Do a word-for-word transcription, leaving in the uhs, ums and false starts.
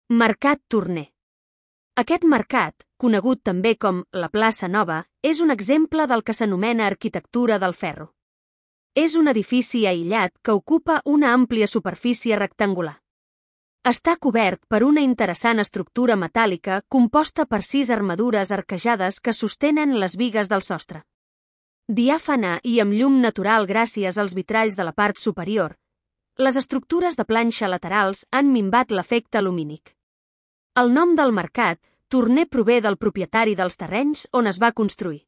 Mercat Torner. Aquest mercat, conegut també com la Plaça Nova, és un exemple del que s'anomena arquitectura del ferro. És un edifici aïllat que ocupa una àmplia superfície rectangular. Està cobert per una interessant estructura metàl·lica composta per sis armadures arquejades que sostenen les bigues del sostre. Diàfana i amb llum natural gràcies als vitralls de la part superior, les estructures de planxa laterals han minvat l'efecte lumínic. El nom del mercat, Torner, prové del propietari dels terrenys on es va construir.